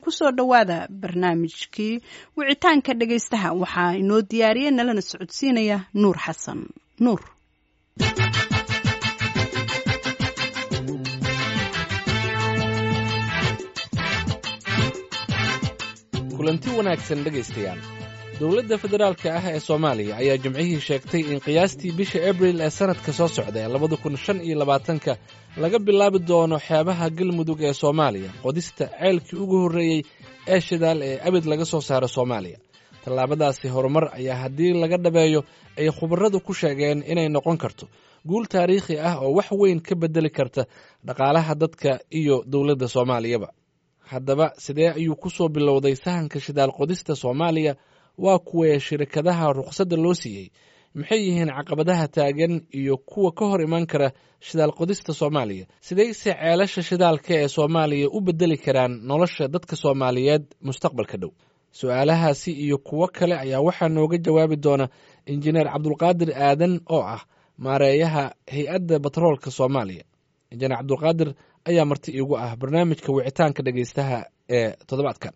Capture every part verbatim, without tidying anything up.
Kusoo dhowaada barnaamijkii wicitaanka dhegaystaha. Waxaa inoo diyaariyey nalana socodsiinaya Nuur Xasan Nuur. Kulanti wanaagsan, dhegaystayaal. Dowladda federaalka ah ee Soomaaliya ayaa Jimcihii sheegtay in qiyaastii bisha Abril ee sannadka soo socda ee labada kun shan iyo labaatanka laga bilaabi doono xeebaha Galmudug ee Soomaaliya qodista ceelkii ugu horreeyey ee shidaal ee abid laga soo saaro Soomaaliya. Tallaabadaasi horumar ayaa haddii laga dhabeeyo ay khubaradu ku sheegeen inay noqon karto guul taariikhi ah oo wax weyn ka beddeli karta dhaqaalaha dadka iyo dowladda Soomaaliyaba. Haddaba, sidee ayuu ku soo bilowday sahanka shidaal qodista Soomaaliya? Waa kuwee shirkadaha rukhsadda loo siiyey? Maxay yihiin caqabadaha taagan iyo kuwa ka hor iman kara shidaal qodista Soomaaliya? Sidayse ceelasha shidaalka ee Soomaaliya u beddeli karaan nolosha dadka Soomaaliyeed mustaqbalka dhow? Su-aalahaasi iyo kuwo kale ayaa waxaa nooga jawaabi doona Injineer Cabdulqaadir Aadan oo ah maareeyaha Hay-adda Batroolka Soomaaliya. Injineer Cabdulqaadir ayaa marti iigu ah barnaamijka wicitaanka dhegaystaha ee toddobaadkan.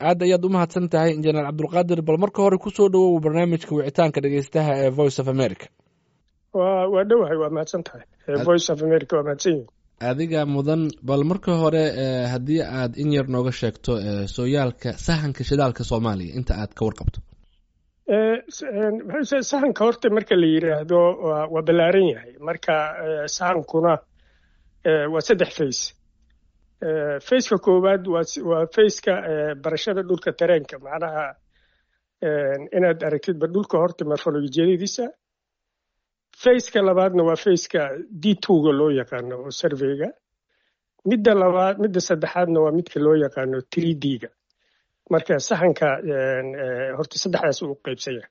Aad ayaad u mahadsan tahay, Injineer Cabdulqaadir. Bal marka hore kusoo dhawow barnaamijka wicitaanka dhegaystaha ee Voice of America. Wa waa dhowahay, waa mahadsan tahay. Voice of America waa mahadsan yihin. Adiga mudan. Bal marka hore, haddii aad in yar nooga sheegto sooyaalka sahanka shidaalka Soomaaliya inta aad ka warqabto. Sahanka horta marka la yidhaahdo waa ballaaran yahay. Marka sahankuna waa saddex phase. Phaseka koowaad waa phaseka barashada dhulka, terrainka, macnaha inaad aragtidba dhulka horta morpholojiyadiisa. Phaseka labaadna waa phaseka D two-ga loo yaqaano oo surveyga. Midda labaad, midda saddexaadna waa midka loo yaqaano three D-ga. Marka sahanka horta saddexdaas uu qaybsan yahay.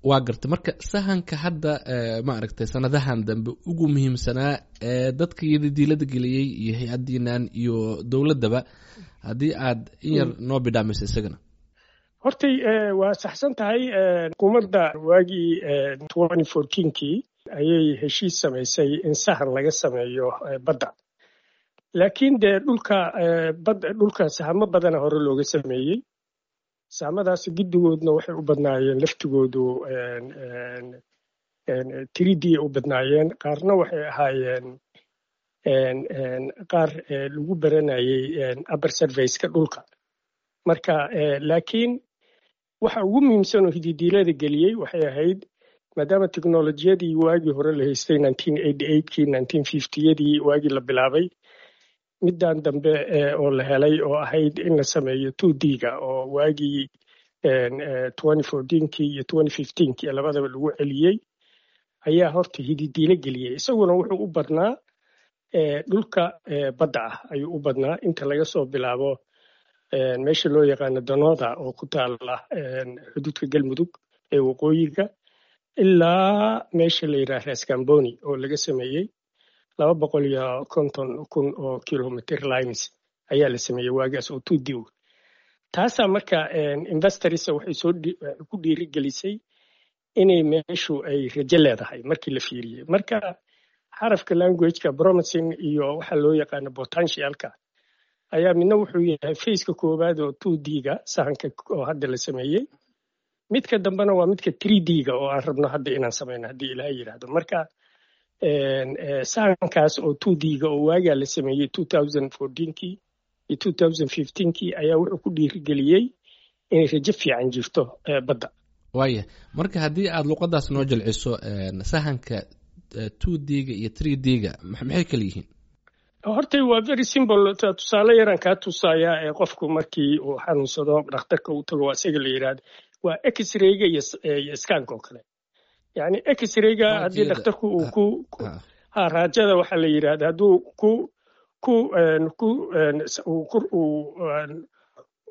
Waa gartay. Marka sahanka hadda, ma aragtay, sanadahan dambe ugu muhiimsanaa ee dadka iyada geliyey iyo hay-addiinan iyo dowladdaba, haddii aad in yar noo bidhaamayso isagana. Hortay waa saxsan tahay. Xukuumadda waagii twenty fourteenkii ayay heshiis samaysay in sahan laga sameeyo badda, laakiin dee dhulka badda, dhulka sahamo badana hore looga sameeyey. Sahamadaasi giddigoodna waxay u badnaayeen laftigoodu three D u badnaayeen, qaarna waxay ahaayeen qaar lagu baranayey upper surfaceka dhulka. Marka laakiin waxa ugu muhiimsan oo hididiilada geliyey waxay ahayd maadaama teknolojiyadii waagii hore la haystay nineteen eighty eightkii, nineteen fiftiyadii waagii la bilaabay, middan dambe oo la helay oo ahayd in la sameeyo two D-ga oo waagii twenty fourteenkii iyo twenty fifteenkii labadaba lagu celiyey ayaa horta hididiilo geliyey. Isaguna wuxuu u badnaa dhulka badda ah ayuu u badnaa, inta laga soo bilaabo meesha loo yaqaano Danoda oo ku taala xuduudka Galmudug ee waqooyiga ilaa meesha la yidhaha Raskamboni oo laga sameeyey laba boqol iyo konton kun oo kilometer lines ayaa la sameeyey waagaas oo two D. Taasaa marka investors waxay soo ku dhiirigelisay inay meeshu ay rajo leedahay markii la fiiriyey. Marka xarafka languageka promising iyo waxa loo yaqaano potentialka ayaa midna wuxuu yahay phaseka koowaad oo two D-ga sahanka oo hadda la sameeyey. Midka dambena waa midka three D-ga oo aan rabno hadda inaan sameyno haddii Ilaahay yidhaahdo. Marka sahankaas oo two D-ga oo waagaa la sameeyey two thousand fourteenkii iyo two thousand fifteenkii ayaa wuxuu ku dhiirigeliyey inay rajo fiican jirto badda. Waaya, marka haddii aada luqadaas noo jilciso, sahanka two D-ga iyo three D-ga maxay kala yihiin? Hortay waa very simple. Tusaale yaraan kaa tusayaa ee qofku markii uu xanuunsado dhakhtarka uu tago, waa isaga la yidhaahdo waa X-rayga iyo iyo scanka oo kale. Yacni X-rayga haddii dhakhtarku uu ku ha raajada waxaa la yidhahda hadduu ku ku ku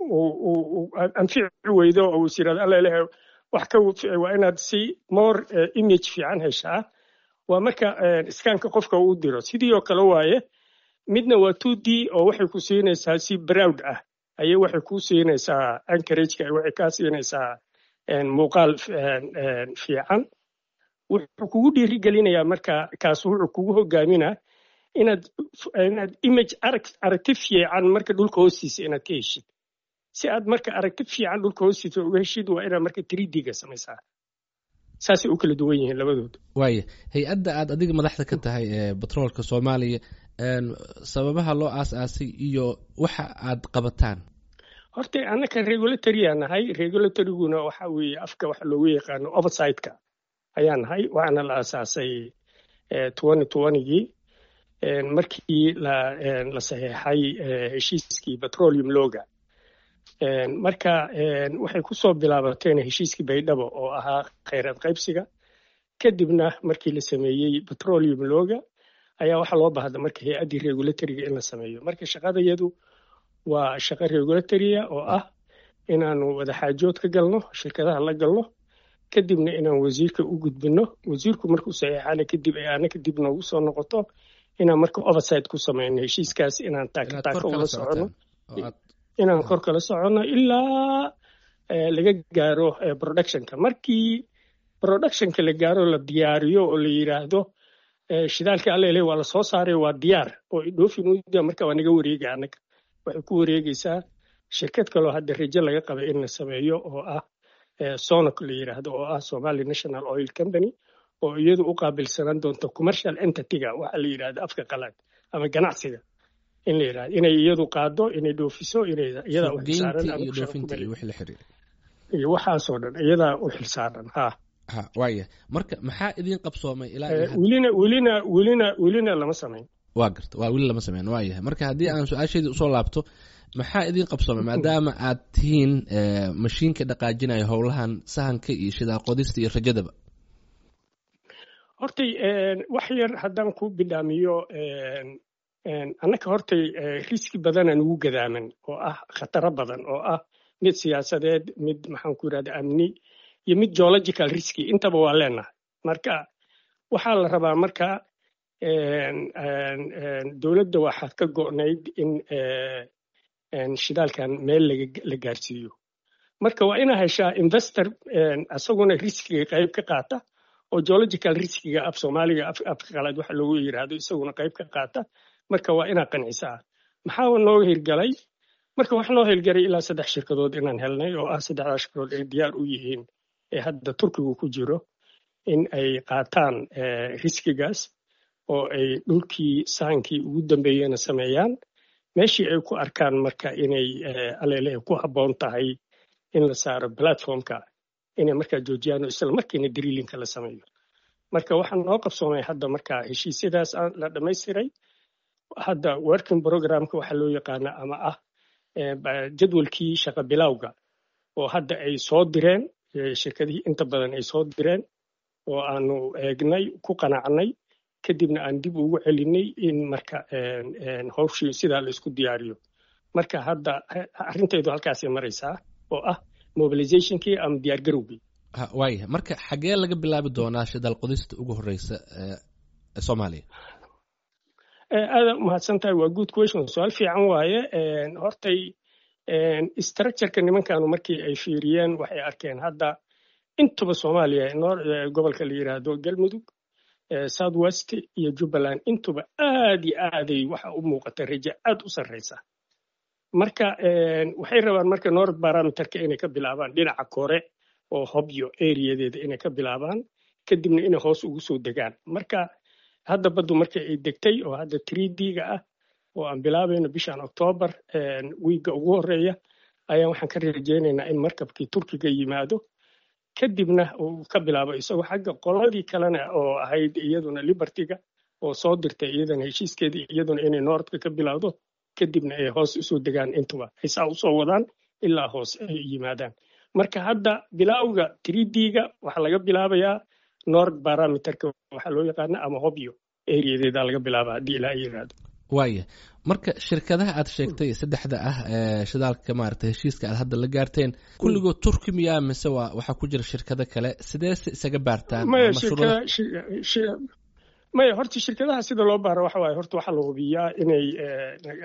uu anfici weydo oo is yidhahdo, "Alla ilahay, wax ka waa inaad si more image fiican heshaa," waa marka scanka qofka uu diro. Sidii oo kale waaye, midna waa two D oo waxay ku siinaysaa si broad ah ayay waxay ku siinaysaa acreageka, waxay kaa siinaysaa muuqaal fiican. Wuxuu kugu dhiirigelinayaa marka kaas, wuxuu kugu hogaaminaa inaad inaad image arag aragti fiican marka dhulka hoostiisa inaad ka heshid. Si aad marka aragti fiican dhulka hoostiisa uga heshid, waa inaad marka three D-ga samaysaa. Saasay u kala duwan yihiin labadood. Waaya, hay-adda aad adiga madaxda ka tahay ee batroolka Soomaaliya, sababaha loo aas-aasay iyo waxa aad qabataan? Horta annaka regulatory aa nahay. Regulatoryguna waxa weeye afka waxa loogu yaqaano oversight-ka ayaa nahay. Waxaana la aasaasay twenty twentygii markii la la saxeexay heshiiskii petroleum lawga. Marka waxay ku soo bilaabateen heshiiskii Baydhabo oo ahaa khayraad qaybsiga. Kadibna markii la sameeyey petroleum lawga ayaa waxaa loo baahda marka hay-addii regulatoryga in la sameeyo. Marka shaqadayadu waa shaqo regulatory ah oo ah inaanu wadaxaajood ka galno shirkadaha la galno, kadibna inaan wasiirka u gudbino. Wasiirku markuu saxiixana kadib ay ana kadib noogu soo noqoto inaan marka oversight ku sameyno heshiiskaas, inaan taaka taaka ula soconno, inaan kor kala soconno ilaa laga gaaro productionka. Markii productionka la gaaro, la diyaariyo oo la yidhaahdo shidaalka allele waa la soo saaray, waa diyaar oo dhoofin, marka waa naga wareega annaga. Waxay ku wareegaysaa shirkad kaloo hadda rajo laga qabay in la sameeyo oo ah SONOC la yidhaahdo, oo ah Somali National Oil Company, oo iyadu u qaabilsanaan doonto commercial entity-ga waxa la yidhahdo afka qalaad ama ganacsiga in la yidhahdo, inay iyadu qaado, inay dhoofiso, inay iyadaa u xilsaaran. Iyo waxaasoo dhan iyadaa u xilsaaran, ha. Ha, waaya. Marka maxaa idin qabsoomay ilaa? Welina welina welina welina lama samayn. Waa garta, waa weli lama sameyn. Waa yahay. Marka haddii aan su-aashaydii usoo laabto, maxaa idin qabsoomay maadaama aad tihiin mashiinka dhaqaajinaya howlahan sahanka iyo shidaal qodista iyo rajadaba? Hortay wax yar haddaan ku bidhaamiyo, annaka hortay riski badanaan ugu gadaaman oo ah khataro badan oo ah mid siyaasadeed, mid maxaan ku yidhahda amni iyo mid geological riski, intaba waa leenahay. Marka waxaa la rabaa marka dowladda waxaad ka go'nayd in shidaalkan meel la gaarsiiyo. Marka waa inaa heshaa investor isaguna riskiga qayb ka qaata oo geological riskiga, af Soomaaliga afka qalaad waxa loogu yidhaahdo, isaguna qayb ka qaata. Marka waa inaa qancisaa. Maxaa nooga hirgalay? Marka wax noo hirgalay ilaa saddex shirkadood inaan helnay, oo ah saddexdaa shirkadood ay diyaar u yihiin ee hadda Turkigu ku jiro in ay qaataan riskigaas oo ay dhulkii sahankii ugu dambeeyena sameeyaan. Meeshii ay ku arkaan marka inay aleele ku habboon tahay in la saaro platformka, inay markaa joojiyaan oo isla markiina drillingka la sameeyo. Marka waxaa noo qabsoomay hadda marka heshiisyadaas la dhammaystiray. Hadda working programka waxaa loo yaqaana ama ah jadwalkii shaqa bilowga oo hadda ay soo direen shirkadihii inta badan ay soo direen oo aanu eegnay, ku qanacnay, kadibna aan dib ugu celinay in marka hawshii sidaa la isku diyaariyo. Marka hadda arrintaydu halkaasay maraysaa oo ah mobilizationkii ama diyaargarowgii. Waaya, marka xagee laga bilaabi doonaa shidaal qodista ugu horeysa ee Soomaaliya? Aada umahadsan tahay, waa good question, su-aal fiican waaye. Hortay structureka nimankanu markii ay fiiriyeen waxay arkeen hadda intuba Soomaaliya, gobolka la yidhaahdo Galmudug, South West iyo Jubbaland, intuba aad iyo aaday waxa u muuqata rajo aad u sarreysa. Marka waxay rabaan marka north parameterka inay ka bilaabaan dhinaca kore oo Hobyo areadeeda inay ka bilaabaan, kadibna inay hoos ugu soo degaan. Marka hadda baddu marka ay degtay oo hadda three D-ga ah oo aan bilaabayno bishan Octoobar wiigga ugu horeeya ayaan waxaan ka rajaynaynaa in markabkii Turkiga yimaado, kadibna uu ka bilaabo isagoo xagga. Qoladii kalena oo ahayd iyaduna Libertyga oo soo dirtay iyadana heshiiskeedii, iyaduna inay northka ka bilowdo, kadibna ay hoos usoo degaan, intuba ay saa usoo wadaan ilaa hoos ay yimaadaan. Marka hadda bilowga three D-ga waxaa laga bilaabayaa north parameterka waxaa loo yaqaana ama Hobyo areadeeda laga bilaaba, haddii Ilaa yiraahdo. Waaya, marka shirkadaha aad sheegtay saddexda ah ee shidaalka maaragtay heshiiska aad hadda la gaarteen, kulligood Turki miyaa mise waa waxaa ku jira shirkado kale? Sidee se isaga baartaan? Maya, shirkada maya, horta shirkadaha sida loo baaro waxa waaye, horta waxaa la hubiyaa inay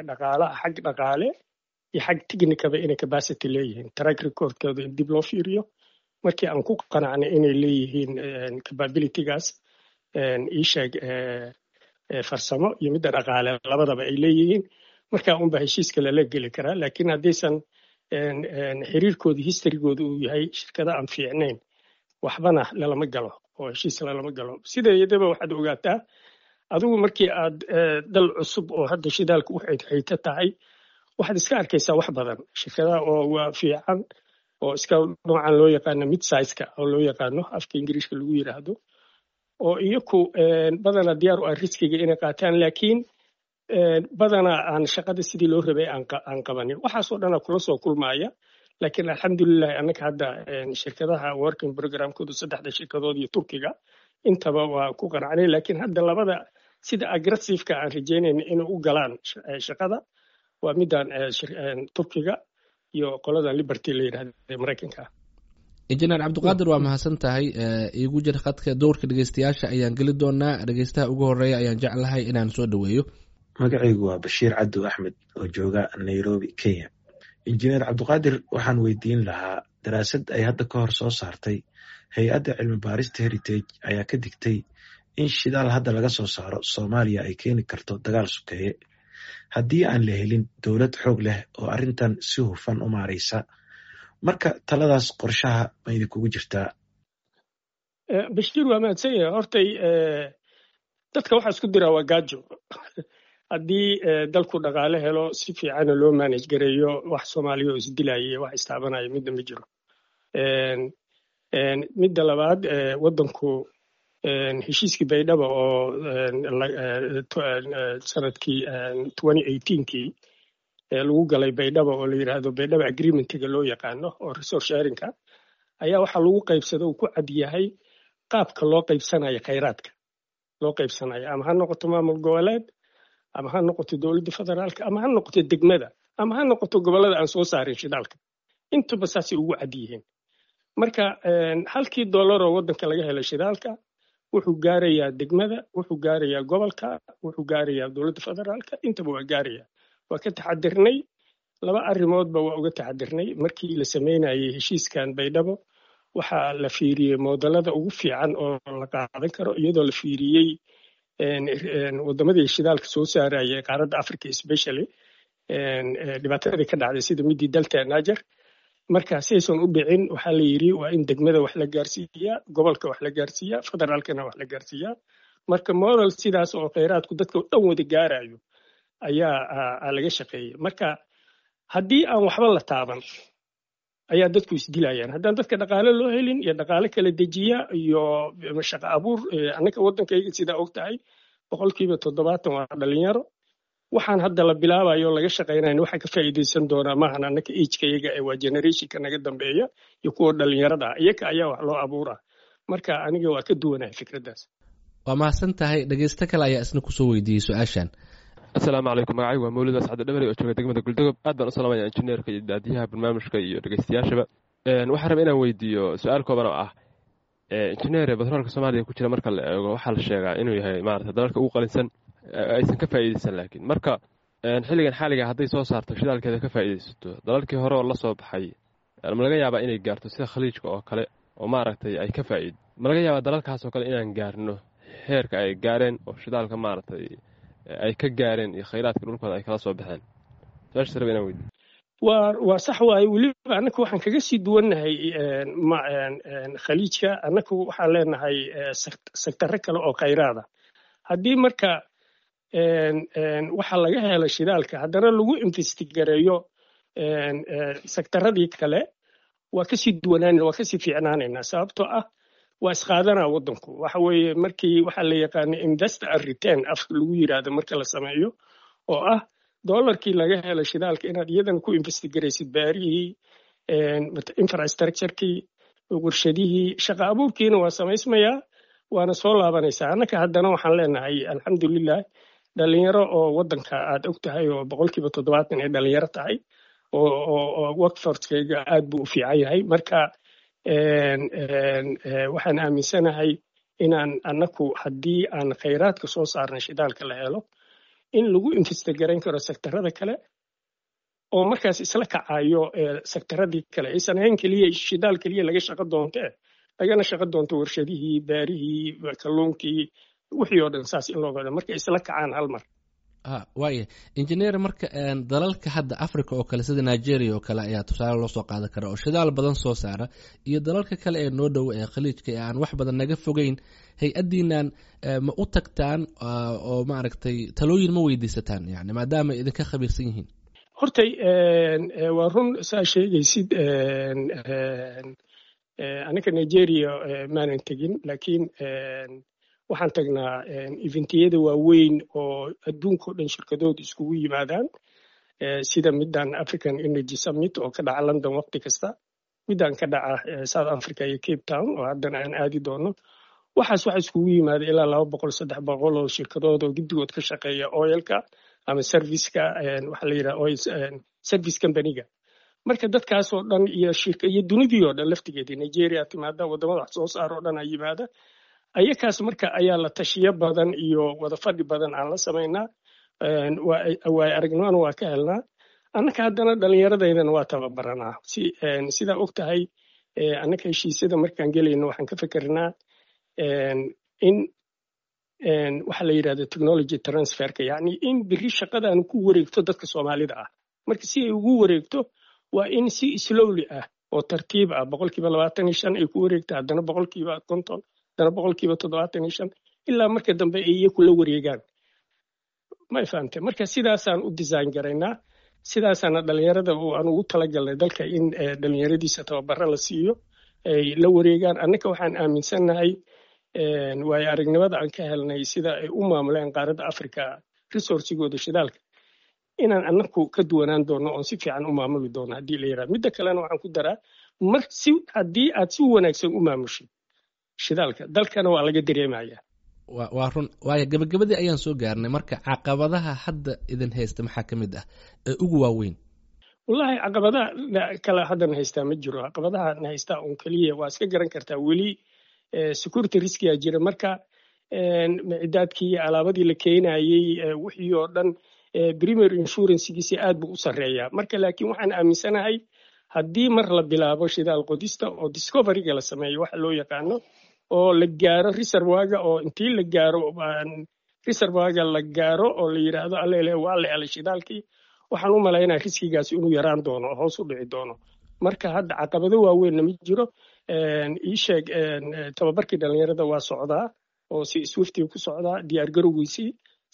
dhaqaalaha, xag dhaqaale iyo xag technicaba inay capacity leeyihiin, track recordkooda in dib loo fiiriyo. Markii aan ku qanacnay inay leeyihiin capabilitygaas ii sheeg farsamo iyo midda dhaqaale labadaba ay leeyihiin, markaa unba heshiiska lala geli karaa. Laakiin haddaysan Xiriirkooda, historygooda uu yahay shirkada aan fiicnayn, waxbana lalama galo oo heshiis lalama galo. Sideedaba waxaad ogaataa adigu markii aad dal cusub oo hadda shidaalka u xaydxayto tahay, waxaad iska arkaysaa wax badan, shirkadaha oo waa fiican oo iska noocan loo yaqaano mid sizeka oo loo yaqaano afka Ingiriishka lagu yiraahdo, oo iyaku badanaa diyaar u ah riskiga inay qaataan, laakiin badanaa aan shaqada sidii loo rabay aan qabanin. Waxaasoo dhanaa kula soo kulmaaya. Laakiin alxamdulilahi, annaka hadda shirkadaha working programkoodu saddexda shirkadood iyo Turkiga intaba waa ku qanacnay. Laakiin hadda labada sida aggressiveka aan rajeynayna inay u galaan shaqada waa midaan Turkiga iyo qoladan Liberty la yidhahda ee Maraykanka. Injineer Cabdiqaadir, waa mahadsan tahay. Iigu jir khadka, dowrka dhegeystayaasha ayaan geli doonaa. Dhegeystaha ugu horeeya ayaan jeclahay inaan soo dhaweeyo. Magacaygu waa Bashiir Cabdu Axmed oo jooga Nairobi, Kenya. Injineer Cabdiqaadir waxaan weydiin lahaa, daraasad ay hadda ka hor soo saartay hay-adda cilmi baarista Heritage ayaa ka digtay in shidaal hadda laga soo saaro Soomaaliya ay keeni karto dagaal sokeeye haddii aan la helin dowlad xoog leh oo arrintan si hufan u maaraysa. Marka taladaas qorshaha ma idinkugu jirtaa? Bashiir waa mahadsan yahay. Hortay dadka waxaa isku diraa waa gaajo. Haddii dalku dhaqaale helo, si fiicana loo manage gareeyo, wax Soomaaliya oo isdilaya, wax istaabanaya midna ma jiro. Midda labaad, waddanku heshiiskii Baydhaba oo sanadkii kii lagu galay Baydhaba, oo la yidhaahdo Baydhaba Agreementiga loo yaqaano, oo resource sharingka ayaa waxaa lagu qaybsada uu ku cad yahay qaabka loo qaybsanayo khayraadka loo qaybsanayo, ama ha noqoto maamul goboleed, ama ha noqoto dowladda federaalka, ama ha noqoto degmada, ama ha noqoto gobollada aan soo saarin shidaalka, intuba saasay ugu cad yihiin. Marka halkii dollaroo waddanka laga helay shidaalka wuxuu gaarayaa degmada, wuxuu gaarayaa gobolka, wuxuu gaarayaa dowladda federaalka, intaba waa gaarayaa. Waa ka taxadirnay, laba arrimoodba waa uga taxadirnay. Markii la sameynayay heshiiskan Baydhabo, waxaa la fiiriyey moodalada ugu fiican oo la qaadan karo, iyadoo la fiiriyey wadamadii shidaalka soo saarayay qaaradda Africa, especially dhibaatadii ka dhacday sida midii Delta Niger. Marka si aysan u dhicin, waxaa la yidhi waa in degmada wax la gaarsiiyaa, gobolka wax la gaarsiiyaa, federaalkana wax la gaarsiiyaa. Marka model sidaas oo kheyraadku dadka dhan wada gaarayo ayaa laga shaqeeyey. Marka haddii aan waxba la taaban ayaa dadku isdilayaan. Haddaan dadka dhaqaale loo helin iyo dhaqaale kala dejiya iyo shaqo abuur, annaka waddankayga sidaa og tahay boqolkiiba toddobaatan waa dhalinyaro. Waxaan hadda la bilaabayo laga shaqaynayn waxaa ka faa'iidaysan doonaa maahan annaka agekayaga ee waa generationka naga dambeeya iyo kuwa dhalinyarada ah, iyaga ayaa wax loo abuuraa. Marka aniga waa ka duwanahay fikraddaas. Waa mahadsan tahay. Dhegeysto kale ayaa isna kusoo weydiiyey su-aashan. Asalaamu calaykum. Magacaygu waa Mawlid Ascad Dhamari oo jooga degmada Guldogob. Aad baan u salaamaya injineerka iyo daadiyaha barnaamijka iyo dhegeystayaashaba. Waxaan rabay inaan weydiiyo su-aal kooban oo ah, injineer, batroolka Soomaaliya ku jira marka la eego waxaa la sheegaa inuu yahay maarata dalalka ugu qalinsan aysan ka faa'iideysan, laakiin marka xilligan xaaliga hadday soo saarto shidaalkeeda ka faa'iideysato, dalalkii hore oo la soo baxay ma laga yaabaa inay gaarto sida Khaliijka oo kale oo maaragtay ay ka faa'iido? Ma laga yaabaa dalalkaas oo kale inaan gaarno heerka ay gaareen oo shidaalka maaragtay ay ka gaareen iyo khayraadka dhulkooda ay kala soo baxeen? Su-aashaas raba inaan weydiiyo. waa waa sax waaye. Weliba annaka waxaan kaga sii duwannahay Khaliijka. Annaku waxaan leenahay sectaro kale oo khayraada. Haddii marka waxa laga helo shidaalka haddana lagu invest gareeyo sectaradii kale, waa kasii duwanaan, waa kasii fiicnaanaynaa, sababtoo ah waa isqaadanaa waddanku. Waxa weeye markii waxaa la yaqaana invest and return afka lagu yiraahdo marka la sameeyo, oo ah dollarkii laga helo shidaalka inaad iyadana ku invest garaysid baarihii, infrastructurekii, warshadihii, shaqa abuurkiina waa samaysmayaa, waana soo laabanaysaa. Annaka haddana waxaan leenahay alxamdulilah dhalinyaro oo waddanka aad og tahay oo boqolkiiba toddobaatan ay dhalinyaro tahay, oo workforcekayga aad buu u fiican yahay. Marka waxaan aaminsanahay inaan annaku haddii aan khayraadka soo saarnay shidaalka la helo in lagu invest garayn karo sectarada kale, oo markaas isla kacayo sectaradii kale, aysan ahayn keliya shidaal keliya laga shaqo doontee, lagana shaqo doonto warshadihii, baarihii, kalluunkii, wixii oo dhan saas in loo gado marka isla kacaan hal mar. Waaya, injineer, marka dalalka hadda Africa oo kale, sida Nigeria oo kale ayaa tusaale loo soo qaadan kara oo shidaal badan soo saara, iyo dalalka kale ee noo dhow ee Khaliijka ee aan wax badan naga fogeyn, hay-addiinan ma u tagtaan oo maaragtay talooyin ma weydiisataan, yani maadaama ay idinka khabiirsan yihiin? Hortay waa run saa sheegaysid. Anaga Nigeria maanan tegin, laakiin waxaan tagnaa eventiyada waaweyn oo adduunka o dhan shirkadooda iskugu yimaadaan, sida middan African Energy Summit oo ka dhaca London waqti kasta, middan ka dhaca South Africa iyo Cape Town oo haddana aan aadi doono. Waxaas waxa iskugu yimaada ilaa laba boqol saddex boqol oo shirkadood oo giddigood ka shaqeeya oilka ama serviceka, waxa la yidhaha oil service companyga. Marka dadkaas oo dhan iyo shirka iyo dunidii oo dhan laftigeedii Nigeria timaada, waddamada wax soo saar oo dhan ay yimaada ayakaas. Marka ayaa la tashiyo badan iyo wada fadhi badan aan la samaynaa, waay aragnimana waa ka helnaa. Annaka haddana dhallinyaradaydana waa tababaranaa. Si sidaa og tahay, annaka heshiisyada markaan gelayno waxaan ka fikirnaa in waxa la yidhahda technology transferka, yacni in biri shaqadan ku wareegto dadka Soomaalida ah. Marka si ay ugu wareegto waa in si slowly ah oo tartiib ah boqolkiiba labaatan iyo shan ay ku wareegto, haddana boqolkiiba konton, haddana boqolkiiba toddobaatan iyo shan, ilaa marka dambe ay iyaku la wareegaan. Ma fahamtay? Marka sidaasaan u design garaynaa, sidaasaana dhalinyarada aan ugu talagalnay dalka in dhalinyaradiisa tababaro la siiyo, ay la wareegaan. Annaka waxaan aaminsannahay, waayo aragnimada aan ka helnay sida ay u maamuleen qaaradda Africa resourcigooda shidaalka, inaan annaku ka duwanaan doono oon si fiican u maamuli doono haddii la yidhaha. Midda kalena waxaan ku daraa, mar si haddii aad si wanaagsan u maamushid shidaalka, dalkana waa laga dareemaya. Waa run. Waayo, gabagabadii ayaan soo gaarnay. Marka caqabadaha hadda idin haysta maxaa ka mid ah ee ugu waaweyn? Wallahi, caqabadaha kale haddana haystaa ma jiro. Caqabadaha na haystaa un keliya waa iska garan kartaa, weli security riskiyaa jira. Marka micidaadkii iyo alaabadii la keenayey, wixii oo dhan, primary insurancegiisi aad buu u sarreeyaa. Marka laakiin waxaan aaminsanahay haddii mar la bilaabo shidaal qodista oo discoveryga la sameeyo waxa loo yaqaano, oo la gaaro reservoirga, oo intii la gaaro reservoirga la gaaro oo la yidhaahdo allele waa la helay shidaalkii, waxaan u malaynaya riskigaasi inuu yaraan doono oo hoos u dhici doono. Marka hadda caqabado waaweynna ma jiro. Ii sheeg, tababarkii dhalinyarada waa socdaa oo si swiftiga ku socdaa diyaargarowgiisii,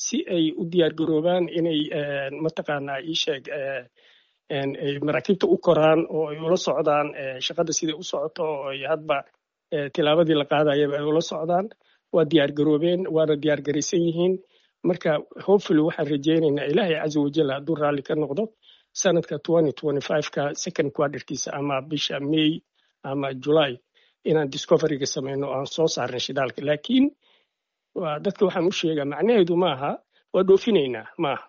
si ay u diyaargaroobaan inay mataqaanaa ii sheeg ay maraakiibta u koraan oo ay ula socdaan shaqada siday u socoto, oo ay hadba tilaabadii la qaadayaba ay ula socdaan. Waa diyaargaroobeen, waana diyaargaraysan yihiin. Marka hopefully waxaan rajaynaynaa, Ilaahay caza wajal hadduu raalli ka noqdo, sanadka ka second quarterkiisa ama bisha May ama July inaan discoveryga samayno oo aan soo saarnay shidaalka. Laakiin dadka waxaan u sheegaa, macnaheedu maaha waa dhoofinaynaa, maaha.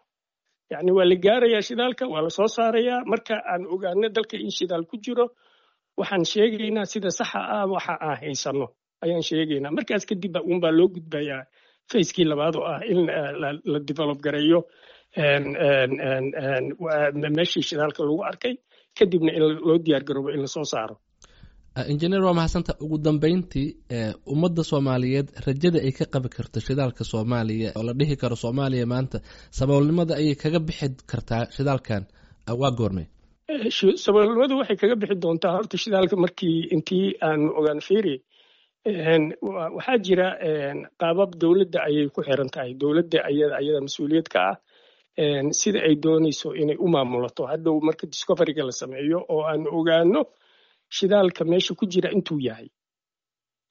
Yacni waa la gaarayaa shidaalka, waa la soo saarayaa. Marka aan ogaano dalka in shidaal ku jiro, waxaan sheegaynaa sida saxa ah, waxa aan haysano ayaan sheegaynaa. Markaas kadib uunbaa loo gudbayaa phasekii labaad oo ah in la develop gareeyo meeshii shidaalka lagu arkay, kadibna in loo diyaar garoobo in lasoo saaro. Injineer, waa mahadsanta. Ugu dambeyntii, ummadda Soomaaliyeed rajada ay ka qabi karto shidaalka Soomaaliya oo la dhihi karo Soomaaliya maanta saboolnimada ayay kaga bixi kartaa shidaalkan, waa goormay? Saboolnimadu waxay kaga bixi doontaa horta shidaalka markii intii aanu ogaan. Fiiri, waxaa jira qaabab dowladda ayay ku xiran tahay, dowladda ayada ayada mas-uuliyad ka ah sida ay doonayso inay u maamulato. Hadhow marka discoveryga la sameeyo oo aanu ogaano shidaalka meesha ku jira intuu yahay,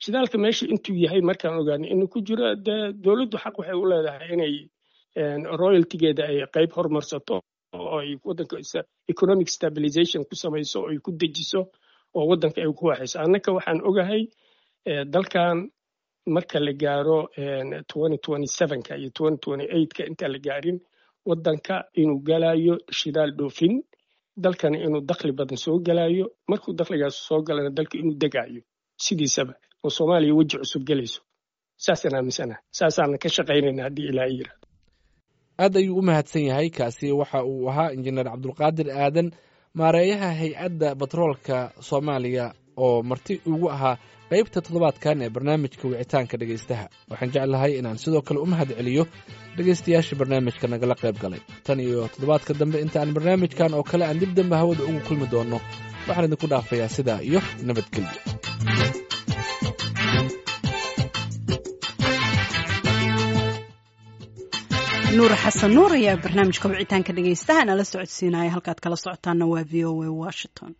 shidaalka meesha intuu yahay markaan ogaano inuu ku jiro, dee dowladdu xaq waxay u leedahay inay royaltygeeda ay qayb horumarsato oo ay waddanka economic stabilization ku samayso oo ay ku dejiso oo waddanka ay ku waxayso. Annaka waxaan ogahay dalkan marka la gaaro ka iyo ka, intaan la gaarin, waddanka inuu galayo shidaal dhoofin, dalkana inuu dakhli badan soo galayo. Markuu dakhligaas soo galana, dalka inuu degayo sidiisaba oo Soomaaliya weji cusub gelayso. Saasaan aaminsanaha, saasaana ka shaqaynayna haddii Ilaahay yiraahdo. Aad ayuu u mahadsan yahay. Kaasi waxa uu ahaa Injineer Cabdulqaadir Aadan, maareeyaha hay-adda batroolka Soomaaliya. oo marti ugu ahaa qaybta toddobaadkan ee barnaamijka wicitaanka dhegaystaha. Waxaan jeclahay inaan sidoo kale u mahad celiyo dhegaystayaasha barnaamijka nagala qayb galay. Tan iyo toddobaadka dambe inta aan barnaamijkan oo kale aan dib dambe hawada ugu kulmi doonno, waxaan idinku dhaafayaa sidaa iyo nabadgelyo. Nuur Xasan Nuur ayaa barnaamijka wicitaanka dhegaystaha nala socodsiinaya. Halkaad kala socotaana waa V O A Washington.